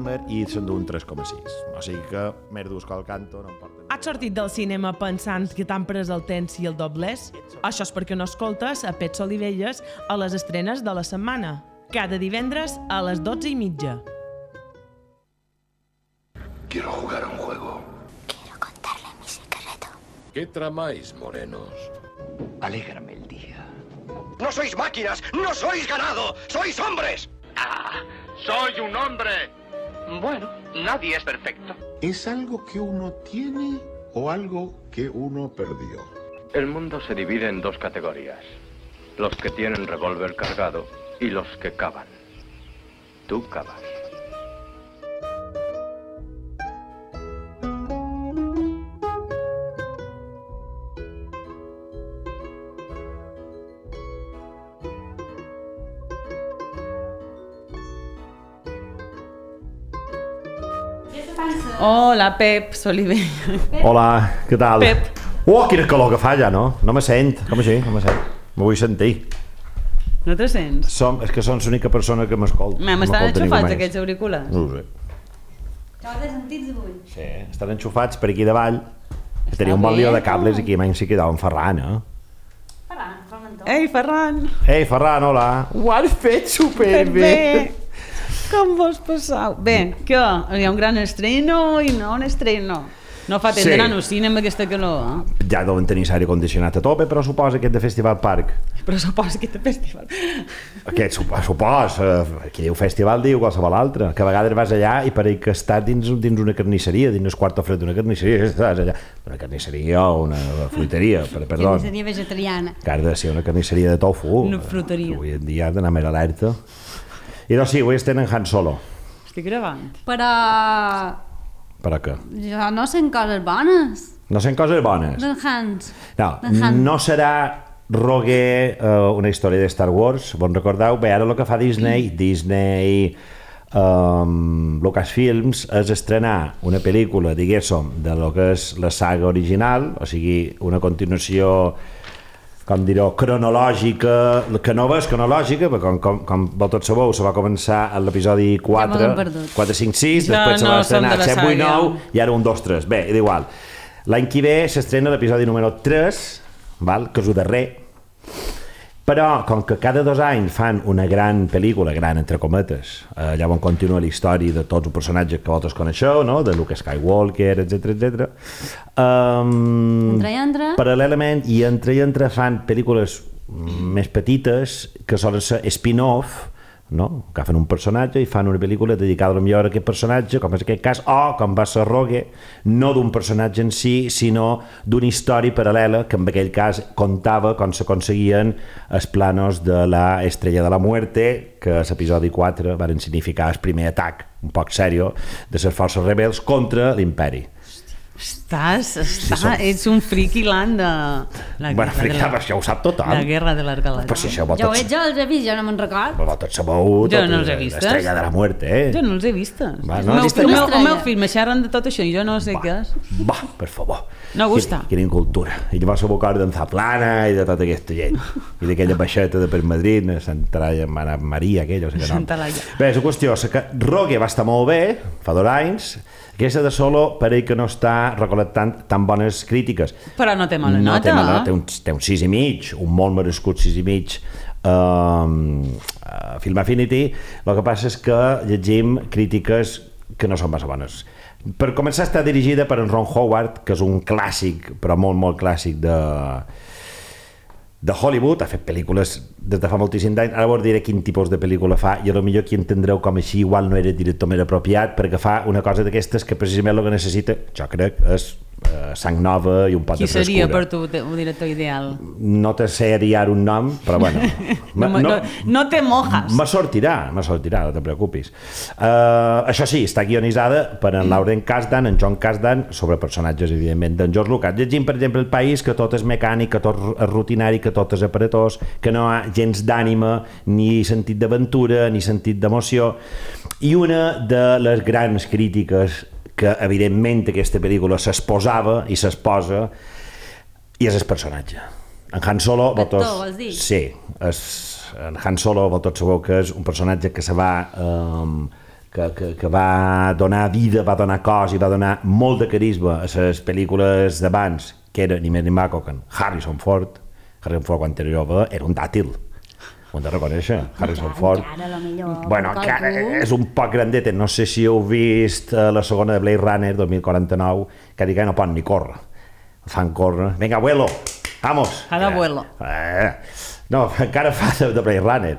Oppenheimer i s'endú un 3,6. O sigui que Merdusco al canto no em porta... Has sortit del cinema pensant que t'han pres el temps i el doblers? Això és perquè no escoltes a Pets Olivelles a les estrenes de la setmana. Cada divendres a les 12:30. Quiero jugar a un juego. Quiero contarle mi secreto. ¿Qué tramáis, morenos? Alégrame el día. ¡No sois máquinas! ¡No sois ganado! ¡Sois hombres! ¡Soy un hombre! Bueno, nadie es perfecto. ¿Es algo que uno tiene o algo que uno perdió? El mundo se divide en dos categorías. Los que tienen revólver cargado y los que cavan. Tú cavas. Hola, Pep Solivella. Hola, què tal? Pep. Quina calor que fa ja, no? No me sent, com així? No me sent. Me vull sentir. No te sents? És que són l'única persona que m'escolta. M'estan enxufats aquests auriculars? No ho sé. T'has de sentir avui? Sí, estan enxufats per aquí davall. Tenia un bon lío de cables i aquí menys s'hi quedava en Ferran, eh? Ei, Ferran! Ei, Ferran, hola! Ho has fet superbé! Com vos passau? Bé, què? Hi ha un gran estreno i no un estreno. No fa temps d'anar al cine amb aquesta calor, eh? Ja deuen tenir l'aire condicionat a tope, però suposa aquest de Festival Park. Però suposa aquest de festival. Aquest qui diu festival diu qualsevol altre, que a vegades vas allà i pareix que estàs dins una carnisseria, dins el quarto fred d'una carnisseria, estàs allà, una carnisseria o una fruiteria, perdó. Carnisseria vegetariana. Que ha de ser una carnisseria de tofu. Una fruteria. Avui en dia ha d'anar més alerta. I doncs sí, avui estem en Han Solo. Estic gravant. Però... Per a què? jo no sent coses bones. No sent coses bones? D'en Hans. No serà Rogue una història de Star Wars, bon recordeu? Bé, ara el que fa Disney Lucasfilms és estrenar una pel·lícula, diguéssim, de lo que és la saga original, o sigui, una continuació, com diré, cronològica, que no és cronològica, perquè com tots sabeu, se va començar a l'episodi 4, 5, 6, després se va estrenar 7, 8, 9, i ara 1, 2, 3. Bé, és igual. L'any que ve s'estrena l'episodi número 3, que és el darrer, però com que cada 2 anys fan una gran pel·lícula, gran entre cometes, allà on continua la història de tots els personatges que vosaltres coneixeu, no? De Luke Skywalker, etc. Paral·lelament i entre fan pel·lícules més petites que solen ser spin-off, no? Agafen un personatge i fan una pel·lícula dedicada millor a aquest personatge, com és aquest cas, o com va ser Rogue, no d'un personatge en si, sinó d'una història paral·lela que en aquell cas contava com s'aconseguien els planos de la Estrella de la Muerte, que a l'episodi 4 van significar el primer atac, un poc seriós, de les forces rebels contra l'imperi. Ets un friki land de... Això ho sap tothom. La Guerra de les Galàxies. Jo ho veig, jo els he vist, jo no me'n record. Però tots sabeu l'Estrella de la Muerte, eh? Jo no els he vistes. El meu fill me xerren de tot això i jo no sé què és. Va, per favor. No gusta. Quina incultura. I llavors se m'acorda d'en Zaplana i de tota aquesta gent. I d'aquella baixeta de per Madrid, Santa Maria, aquella, o sigui que no. Bé, la qüestió és que Rogue va estar molt bé, fa 2 anys, aquesta de Solo pareix que no està recol·lectant tan bones crítiques. Però no té mala nota. Té un 6,5, un molt merescut 6,5 Film Affinity. El que passa és que llegim crítiques que no són massa bones. Per començar, està dirigida per en Ron Howard, que és un clàssic, però molt, molt clàssic de Hollywood. Ha fet pel·lícules des de fa moltíssim d'anys. Ara vos diré quin tipus de pel·lícula fa i potser aquí entendreu com així igual no era el director més apropiat, perquè fa una cosa d'aquestes que precisament el que necessita, jo crec, és sang nova i un pot de frescura. Qui seria per tu un director ideal? No te sé dir un nom, però bueno. No te mojas. Me sortirà, no te preocupis. Això sí, està guionitzada per en Lauren Kasdan, en John Kasdan, sobre personatges, evidentment, d'en George Lucas. Llegim, per exemple, El País, que tot és mecànic, que tot és rutinari, que tot és aparatós, que no hi ha gens d'ànima, ni sentit d'aventura, ni sentit d'emoció. I una de les grans crítiques que evidentment aquesta pel·lícula s'exposava i s'exposa i és el personatge. En Han Solo, vols dir? Sí, en Han Solo, vosaltres sabeu que és un personatge que se va que va donar vida, va donar cos i va donar molt de carisma a les pel·lícules d'abans, que era ni més ni maco que Harrison Ford. Harrison Ford, quan era jove, era un dàtil. Ho hem de reconèixer. Harrison Ford... Encara és un poc grandet. No sé si heu vist la segona de Blade Runner, 2049, que dic que no pot ni córrer. Fan córrer. Vinga, abuelo, vamos. Fa d'abuelo. No, encara fa de Blade Runner.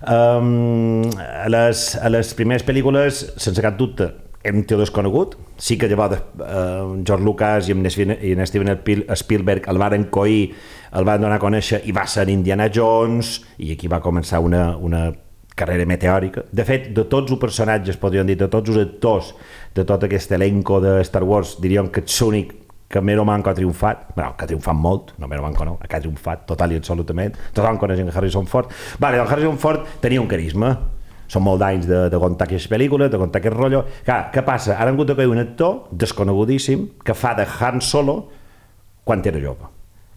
A les primeres pel·lícules, sense cap dubte, era un tio desconegut. Sí que llavors George Lucas i Steven Spielberg el van coir, el van donar a conèixer i va ser Indiana Jones, i aquí va començar una carrera meteòrica. De fet, de tots els personatges, podríem dir, de tots els actors de tot aquest elenco de Star Wars, diríem que ets l'únic que Mero Manco ha triomfat, bueno, que ha triomfat molt, no Mero Manco no, que ha triomfat total i absolutament, tothom coneix Harrison Ford. Vale, doncs Harrison Ford tenia un carisma, són molt d'anys de contar aquestes pel·lícules, de contar aquest rotllo. Clar, què passa? Ara han hagut de cair un actor desconegudíssim que fa de Han Solo quan era jove.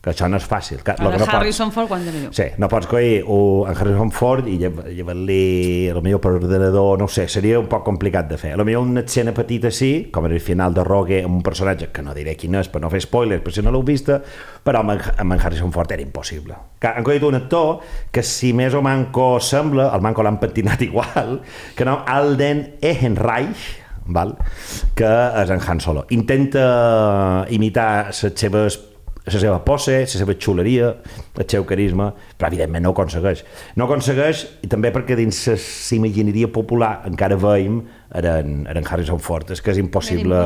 Que això no és fàcil. Harrison Ford quan era jove. Sí, no pots coir en Harrison Ford i llevar-li potser per ordenador, no ho sé, seria un poc complicat de fer. Potser una escena petita sí, com en el final de Rogue, amb un personatge que no diré quin és per no fer spoilers, per si no l'heu vista, però amb en Harrison Ford era impossible. Han coit un actor que si més o manco sembla, el manco l'han pentinat igual, que no, Alden Ehrenreich, val? Que és en Han Solo. Intenta imitar la seva pose, la seva xuleria, el seu carisma, però evidentment no ho aconsegueix. No ho aconsegueix, i també perquè dins l'imagineria popular encara veiem en Harrison Ford, és que és impossible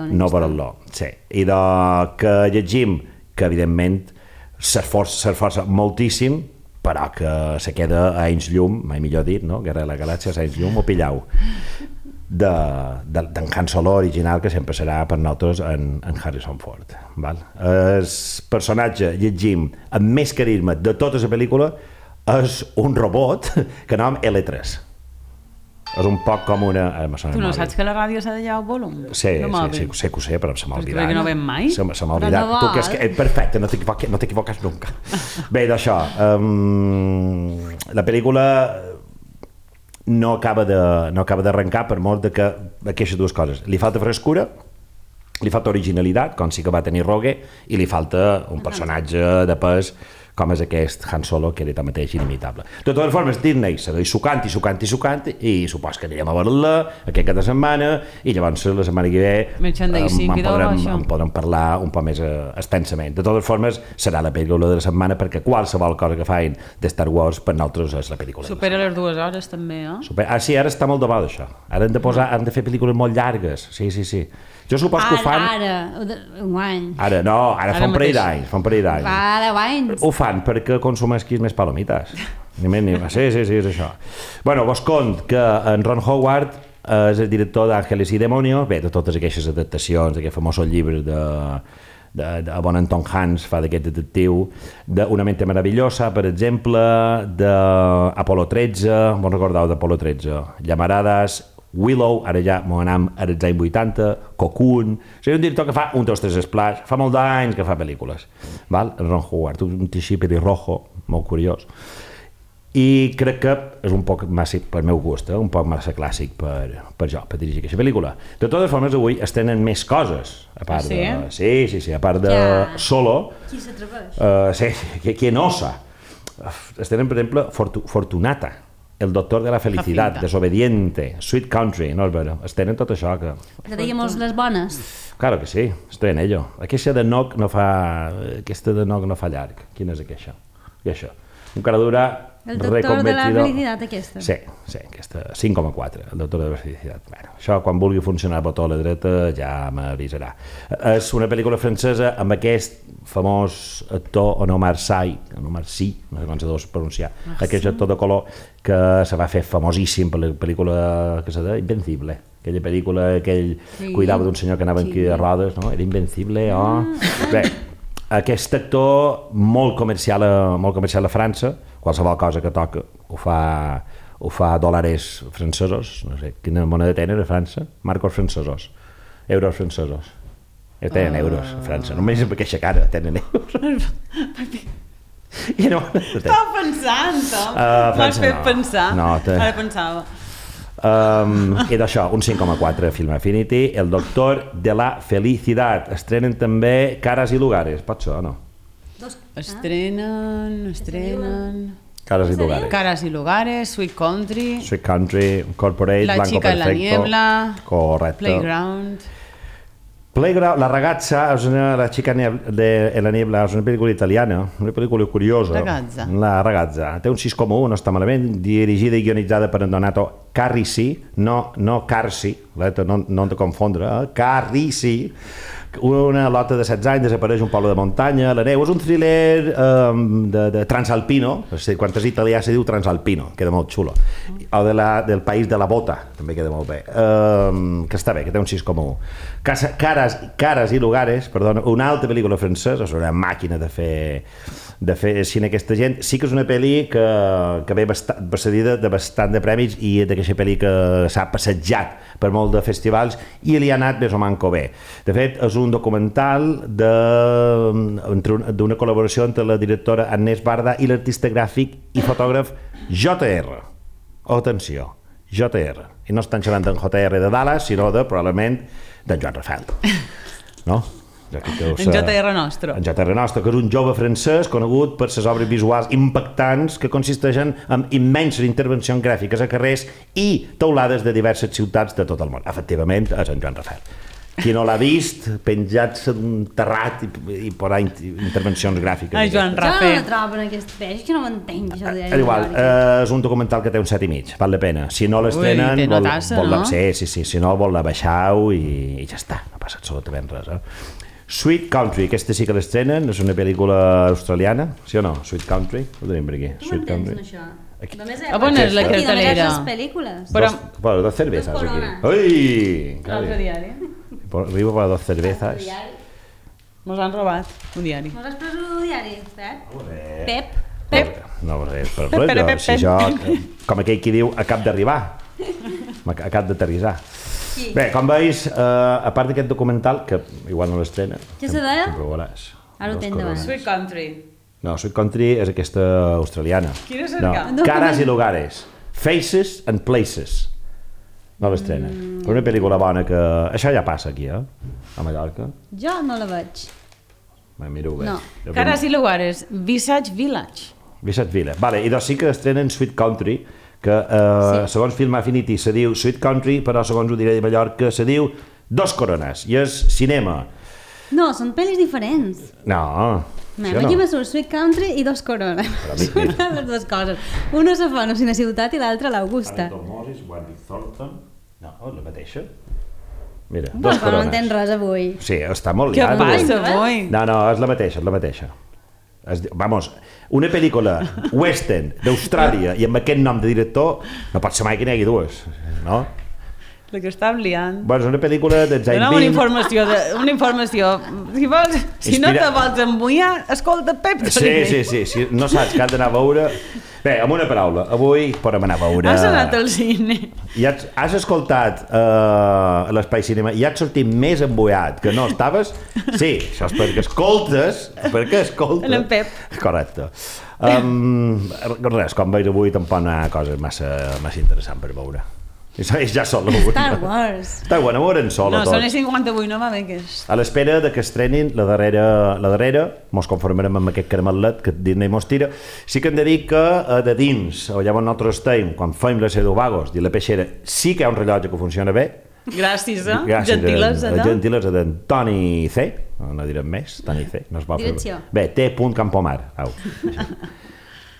no veure-lo. Sí. I que llegim que evidentment s'esforça moltíssim, però que se queda a anys llum, mai millor dit, no? Guerra de la Galàxia, a anys llum o pillau, d'en Han Solo original, que sempre serà per nosaltres en Harrison Ford. Val? El personatge, llegim, amb més carisma de tota la pel·lícula és un robot que nom L3. És un poc com una... Tu no saps que la ràdio s'ha de llevar el volum? Sí, sé que ho sé, però se m'ha oblidat. Perquè no ven mai? Se m'ha oblidat. Tu, que és perfecte, no t'equivoques nunca. Bé, d'això, la pel·lícula no acaba d'arrencar per molt de que aquestes dues coses. Li falta frescura, li falta originalitat, com sí que va tenir Rogue, i li falta un personatge de pes com és aquest Han Solo, que era tanmateix inimitable. De totes formes, Disney segueix sucant i supos que anirem a veure-la aquest cap de setmana, i llavors la setmana que ve en podrem parlar un poc més extensament. De totes formes, serà la pel·lícula de la setmana, perquè qualsevol cosa que facin de Star Wars per nosaltres és la pel·lícula. Supera les 2 hores també, eh? Sí, ara està molt de moda això. Ara han de fer pel·lícules molt llargues. Sí. Jo supos que ho fan... un any. Ara fa un parell d'anys. Fa 10 anys. Ho fan perquè consumesquis més palomites. Ni més ni més. Sí, és això. Bueno, vos cont que en Ron Howard és el director d'Àngeles i Demonios, bé, de totes aquestes adaptacions, d'aquest famós llibre de bon Anton Hans, fa d'aquest detectiu, d'Una mente meravellosa, per exemple, d'Apolo 13, vos recordeu d'Apolo 13, Llamaradas, Willow, ara ja m'ho anam als anys 80, Cocoon, és un director que fa un, dos, tres splash, fa molt d'anys que fa pel·lícules, val? Ron Howard, un teixí pelirrojo, molt curiós, i crec que és un poc massa, per meu gust, un poc massa clàssic per dirigir aquesta pel·lícula. De totes formes, avui es tenen més coses, a part de... Sí, a part de Solo. Qui s'atreveix? Sí, qui no osa. Es tenen, per exemple, Fortunata, El doctor de la felicidad, Desobediente, Sweet Country, no és vera, es tenen tot això que... Traiem-nos les bones. Claro que sí, estoy en ello. Aquesta de Noc no fa llarg. Quina és aquesta? I això. Un cara dura... El doctor de la felicitat, aquesta. Sí, aquesta, 5,4, el doctor de la felicitat. Bueno, això, quan vulgui funcionar el botó a la dreta, ja m'avisarà. És una pel·lícula francesa amb aquest famós actor Omar Sy, no sé com se deu pronunciar, aquest actor de color que se va fer famosíssim per la pel·lícula que se deia Invencible, aquella pel·lícula, cuidava d'un senyor que anava en quilla de rodes, no? Era Invencible, Bé, aquest actor molt comercial a França, qualsevol cosa que toca ho fa dòlars francesos, no sé, quina moneda tenen a França? Marcos francesos, euros francesos. Tenen euros a França, només amb aquesta cara tenen euros. Estava pensant, Tom. M'has fet pensar. Ara pensava. I d'això, un 5,4 Film Affinity. El Doctor de la Felicidad. Estrenen també Caras y Lugares. Pot ser o no? Estrenen... Caras y Lugares. Caras y Lugares, Sweet Country... Sweet Country, Corporate, La Blanco chica Perfecto. en la niebla... Correcto. Playground... La Ragazza és La chica en la niebla és una pel·lícula italiana, una pel·lícula curiosa. Ragazza. La Ragazza. Té un 6,1, no està malament, dirigida i guionitzada per Donato Carrisi, no Carsi, no hem de confondre, Carrisi. Una lota de 16 anys desapareix un poble de muntanya, la neu. És un thriller de transalpino, quan és italià se diu transalpino, queda molt xulo. O del país de la bota, també queda molt bé. Que està bé, que té un 6,1. Caras y Lugares, perdona, una altra pel·lícula francesa, és una màquina de fer cine aquesta gent. Sí que és una pel·li que ve precedida de bastant de premis i d'aquesta pel·li que s'ha passejat per molt de festivals i li ha anat més o manco bé. De fet, és un documental d'una col·laboració entre la directora Agnès Barda i l'artista gràfic i fotògraf JR. Atenció, JR. I no estan xerrant d'en JR de Dallas, sinó probablement d'en Joan Rafael. No? En JR Nostro. En JR Nostro, que és un jove francès conegut per les obres visuals impactants que consisteixen en immenses intervencions gràfiques a carrers i teulades de diverses ciutats de tot el món. Efectivament, és en Joan Rafael. Qui no l'ha vist, penjat-se d'un terrat i posar intervencions gràfiques. Ai, Joan Jo Rafael. no la trobo en aquest peix, que no m'entenc, això de... Igual, és un documental que té un 7,5, val la pena. Si no l'estrenen... Ui, té notassa, no? Sí, si no vol la baixau i ja està, no passa absolutament res. Sweet Country, aquesta sí que l'estrenen, és una pel·lícula australiana, sí o no? Sweet Country, ho tenim per aquí. Com entens, això? Només on és la cartelera? les pel·lícules. Bueno, dos cervezas Dos aquí. coronas. Ui! L'altre diari. Arribo para dos cervezas. Mos han robat un diari. Mos has pres un diari, Pep? Pep. No, però si jo, com aquell qui diu, acab d'arribar, acab d'aterrissar. Sí. Bé, com veus, a part d'aquest documental, que igual no l'estrena, Què se deia? sempre ho veuràs. Ara ho Dos tenc davant. corones. Sweet Country. No, Sweet Country és aquesta australiana. Quina és No, el Caras y Lugares. Faces and Places. No l'estrena. És una pel·lícula bona que... Això ja passa aquí, a Mallorca. Jo no la veig. Miro bé. No. Caras y Lugares, Visage Village. Visage Village. Vale, i doncs sí que estrenen Sweet Country, que segons Film Affinity se diu Sweet Country, però segons ho diré de Mallorca se diu Dos Corones, i és cinema. No, són pel·lis diferents. No, Aquí me surt Sweet Country i Dos Corones. Són les dues coses. Una se fa a una ciutat i l'altra a l'Augusta. Moses, Wendy Thornton... No, la mateixa. Mira, Pues Dos no Corones. entens res avui. Sí, està molt Què liat. passa avui? No, és la mateixa. Vamos, una pel·lícula western d'Austràlia i amb aquest nom de director no pot ser mai que n'hi hagi dues, no? La que estàvem liant. Bueno, és una pel·lícula dels anys Dona'm 20... una informació. Si no te vols embullar, escolta Pep. Sí, no saps que has d'anar a veure... Bé, amb una paraula, avui podem anar a veure... Has anat al cine. Has escoltat l'Espai Cinema i has sortit més embullat que no estaves? Sí, això és perquè escoltes... En Pep. Correcte. Res, com veus avui tampoc no hi ha coses massa interessants per veure. Ja solo. Star Wars. Està bueno, veurem solo No, tot. són les 58, no va bé que és. A l'espera de que estrenin la darrera, mos conformarem amb aquest caramelet que Disney mos tira. Sí que hem de dir que de dins, allà on nosaltres estem, quan fem les Eduvagos i la peixera, sí que hi ha un rellotge que funciona bé. Gràcies, gentilesa de... Gentilesa d'en Toni C, no direm més, Toni C. No es va Direcció. Bé, T.Campomar.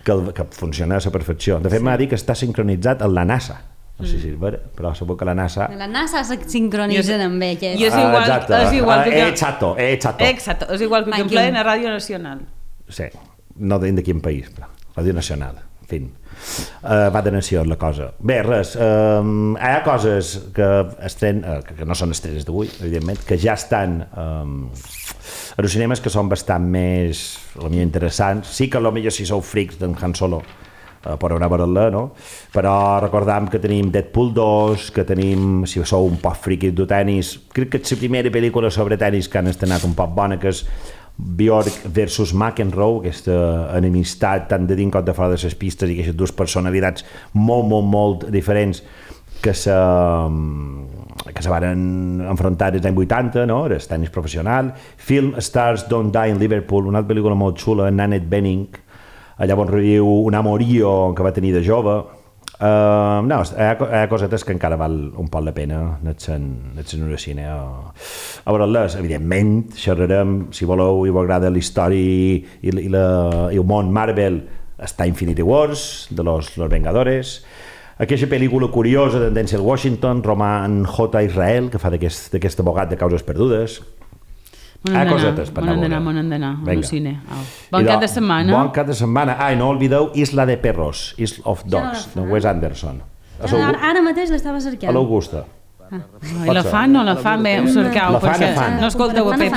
Que funciona a la perfecció. De fet, m'ha dit que està sincronitzat amb la NASA. No sé si és vera, però segur que la NASA... La NASA se sincronitzen amb ell. I és igual que... Exacto. Exacto, és igual que empleen a Ràdio Nacional. Sí, no de quin país, però Ràdio Nacional, en fi. Va de nació la cosa. Bé, res, hi ha coses que no són estrenes d'avui, evidentment, que ja estan a los cinemes que són bastant més, potser interessants. Sí que potser si sou frics d'en Han Solo, per anar a veure-la, no? Però recordam que tenim Deadpool 2, que tenim, si sou un poc friquis de tenis, crec que és la primera pel·lícula sobre tenis que han estrenat un poc bona, que és Bjork versus McEnroe, aquesta enemistat tant de dins com de fora de les pistes i aquestes dues personalitats molt diferents que se van enfrontar als anys 80, no? El tenis professional. Film Stars Don't Die in Liverpool, una altra pel·lícula molt xula, Nanette Bening, allà on reviu un amorío que va tenir de jove. No, hi ha cosetes que encara val un poc la pena anar al cine a veure-les. Evidentment, xerrarem, si voleu i us agrada la història i el món Marvel, està Infinity Wars, de los Vengadores, aquesta pel·lícula curiosa de Denzel Washington, Roman J. Israel, que fa d'aquest abogat de causes perdudes. M'ho n'hem d'anar al cine. Bon cap de setmana. Bon cap de setmana. I no oblideu Isla de Perros, Isle of Dogs, de Wes Anderson. Ara mateix l'estava cercant. A l'Augusta. I la fan o la fan bé? Us cercau, perquè no escolteu a Pep.